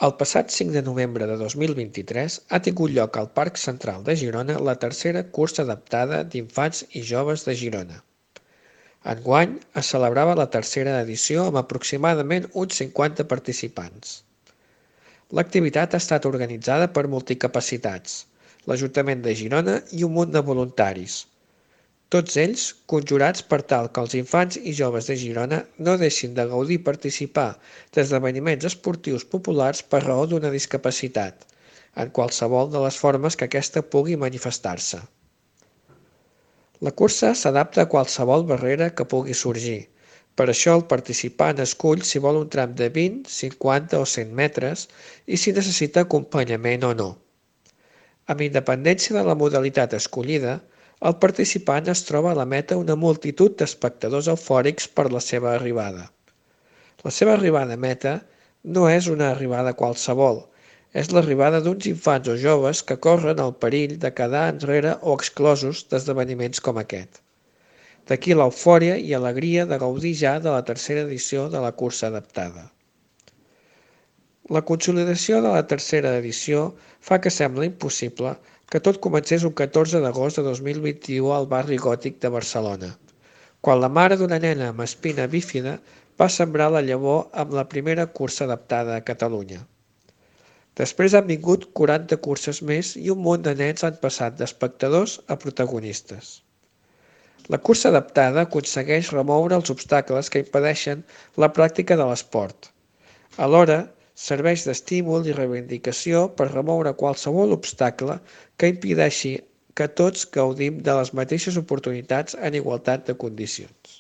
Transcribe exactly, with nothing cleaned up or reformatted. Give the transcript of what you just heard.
El passat cinc de novembre de dos mil vint-i-tres ha tingut lloc al Parc Central de Girona la tercera cursa adaptada d'infants i joves de Girona. Enguany es celebrava la tercera edició amb aproximadament uns cinquanta participants. L'activitat ha estat organitzada per Multicapacitats, l'Ajuntament de Girona i un munt de voluntaris, tots ells conjurats per tal que els infants i joves de Girona no deixin de gaudir i participar d'esdeveniments esportius populars per raó d'una discapacitat, en qualsevol de les formes que aquesta pugui manifestar-se. La cursa s'adapta a qualsevol barrera que pugui sorgir. Per això el participant escull si vol un tram de vint, cinquanta o cent metres i si necessita acompanyament o no. Amb independència de la modalitat escollida, el participant es troba a la meta una multitud d'espectadors eufòrics per la seva arribada. La seva arribada a meta no és una arribada qualsevol, és l'arribada d'uns infants o joves que corren el perill de quedar enrere o exclosos d'esdeveniments com aquest. D'aquí l'eufòria i alegria de gaudir ja de la tercera edició de la cursa adaptada. La consolidació de la tercera edició fa que sembla impossible que tot comencés un catorze d'agost de dos mil vint-i-u al barri gòtic de Barcelona, quan la mare d'una nena amb espina bífida va sembrar la llavor amb la primera cursa adaptada a Catalunya. Després han vingut quaranta curses més i un munt de nens han passat d'espectadors a protagonistes. La cursa adaptada aconsegueix remoure els obstacles que impedeixen la pràctica de l'esport. Alhora, serveix d'estímul i reivindicació per remoure qualsevol obstacle que impedeixi que tots gaudim de les mateixes oportunitats en igualtat de condicions.